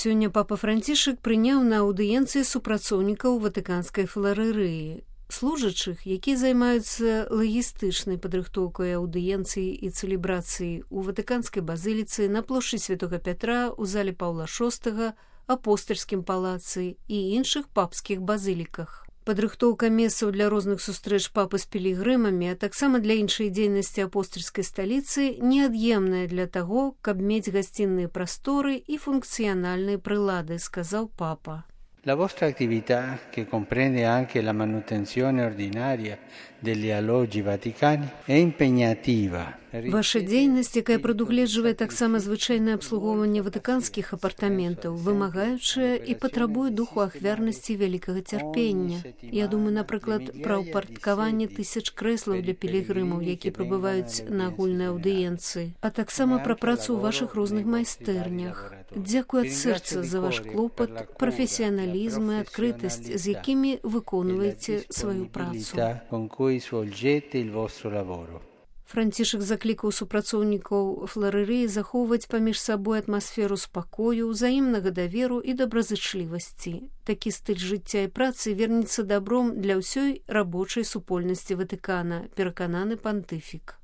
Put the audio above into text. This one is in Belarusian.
Сёння папа Францішак прыняў на аўдыенцыі супрацоўнікаў ватыканскай філарэрыі, служачых, якія займаюцца лагістычнай падрыхтоўкай аўдыенцыі і цэлебрацыі ў ватыканскай базыліцы, на плошчы Святога Пятра, у зале Паўла VI, апостальскім палацы і іншых папскіх базыліках. Падрыхтоўка месцаў для розных сустрэч папы з пілігрымамі, а таксама для іншай дзейнасці апостальскай сталіцы неад'емная для таго, каб мець гасцінныя прасторы і функцыянальныя прылады, сказаў папа. La vostra attività, che comprende anche la manutenzione ordinaria degli alloggi vaticani, è impegnativa. Ваша дзейнасць, якая прадугледжвае таксама звычайнае абслугоўванне ватыканскіх апартаментаў, вымагаючая і патрабуе духу ахвярнасці вялікага цярпення. Я думаю, напрыклад, пра ўпарадкаванне тысяч крэслаў для пілігрымаў, якія прыбываюць на агульнай аўдыенцыі, а таксама пра працу ў вашых розных майстэрнях. Дзякуй ад сэрца за ваш клопат, прафесіяналізм і адкрытасць, з якімі выконваеце сваю працу. Францішак заклікаў супрацоўнікаў філарэрыі захоўваць паміж сабой атмасферу спакою, узаемнага даверу і добразычлівасці. Такі стыль жыцця і працы вернецца дабром для ўсёй рабочай супольнасці Ватыкана, перакананы пантыфік.